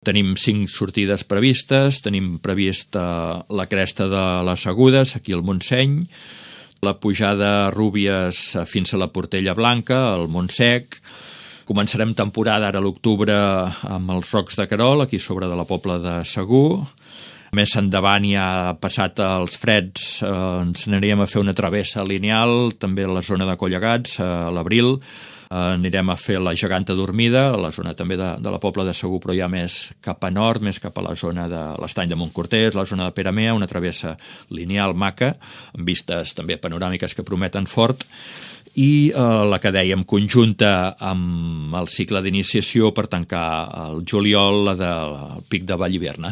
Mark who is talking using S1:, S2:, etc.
S1: Tenim 5 sortides previstes, tenim prevista la cresta de les Agudes, aquí al Montseny, la pujada a Rúbies fins a la Portella Blanca, al Montsec. Començarem temporada ara a l'octubre amb els Rocs de Querol, aquí sobre de la Pobla de Segur. Més endavant, ja passat els freds, ens aniríem a fer una travessa lineal, també a la zona de Collegats, a l'Abril. Anirem a fer la Geganta Dormida, a la zona també de la Pobla de Segur, però ja més cap a nord, més cap a la zona de l'Estany de Montcortès, la zona de Peramea, una travessa lineal maca, amb vistes també panoràmiques que prometen fort, i la que dèiem conjunta amb el cicle d'iniciació per tancar el juliol del Pic de Vallhivern.